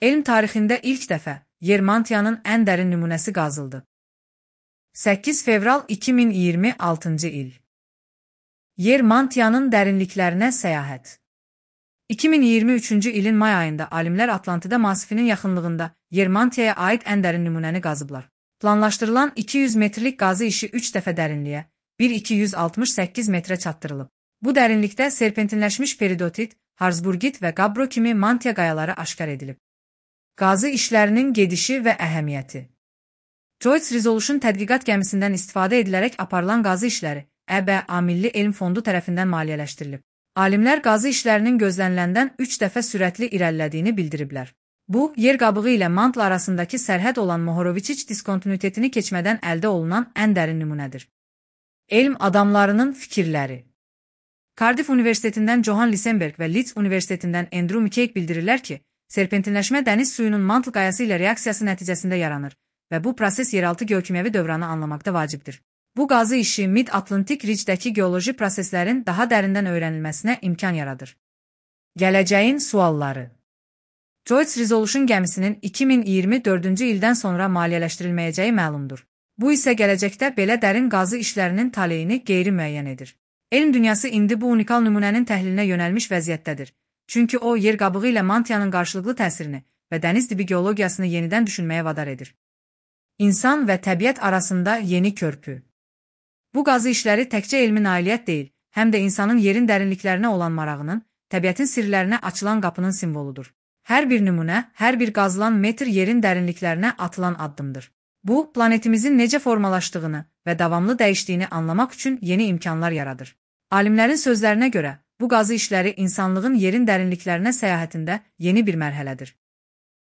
Elm tarixində ilk dəfə yer mantiyanın ən dərin nümunəsi qazıldı. 8 fevral 2026-cı il. Yer mantiyanın dərinliklərinə səyahət. 2023-cü ilin may ayında alimlər Atlantida masifinin yaxınlığında yer mantiyaya aid ən dərin nümunəni qazıblar. Planlaşdırılan 200 metrlik qazı işi 3 dəfə dərinliyə, 1268 metrə çatdırılıb. Bu dərinlikdə serpentinləşmiş peridotit, Harzburgit və Gabbro kimi mantiya qayaları aşkar edilib. Qazı işlərinin gedişi və əhəmiyyəti. Joyce Resolution tədqiqat gəmisindən istifadə edilərək aparılan qazı işləri EBA Milli Elm Fondu tərəfindən maliyyələşdirilib. Alimlər qazı işlərinin gözləniləndən 3 dəfə sürətli irəlilədiyini bildiriblər. Bu, yer qabığı ilə mantla arasındakı sərhəd olan Mohorovičić diskontinuitetini keçmədən əldə olunan ən dərin nümunədir. Elm adamlarının fikirləri. Cardiff Universitetindən Johan Lisenberg və Leeds Universitetindən Andrew McCaig bildirirlər ki, serpentinləşmə dəniz suyunun mantl qayası ilə reaksiyası nəticəsində yaranır və bu proses yeraltı geokimyəvi dövranı anlamaqda vacibdir. Bu qazı işi Mid-Atlantik Ridge-dəki geoloji proseslərin daha dərindən öyrənilməsinə imkan yaradır. Gələcəyin sualları. Joyce Resolution gəmisinin 2024-cü ildən sonra maliyyələşdirilməyəcəyi məlumdur. Bu isə gələcəkdə belə dərin qazı işlərinin taleyini qeyri-müəyyən edir. Elm dünyası indi bu unikal nümunənin təhlilinə yönəlmiş vəziyyətdədir. Çünki o, yer qabığı ilə mantiyanın qarşılıqlı təsirini və dəniz dibi geologiyasını yenidən düşünməyə vadar edir. İnsan və təbiət arasında yeni körpü. Bu qazı işləri təkcə elmi nailiyyət deyil, həm də insanın yerin dərinliklərinə olan marağının, təbiətin sirlərinə açılan qapının simvoludur. Hər bir nümunə, hər bir qazılan metr yerin dərinliklərinə atılan addımdır. Bu, planetimizin necə formalaşdığını və davamlı dəyişdiyini anlamaq üçün yeni imkanlar yaradır. Alimlərin sözlərinə görə, bu qazı işləri insanlığın yerin dərinliklərinə səyahətində yeni bir mərhələdir.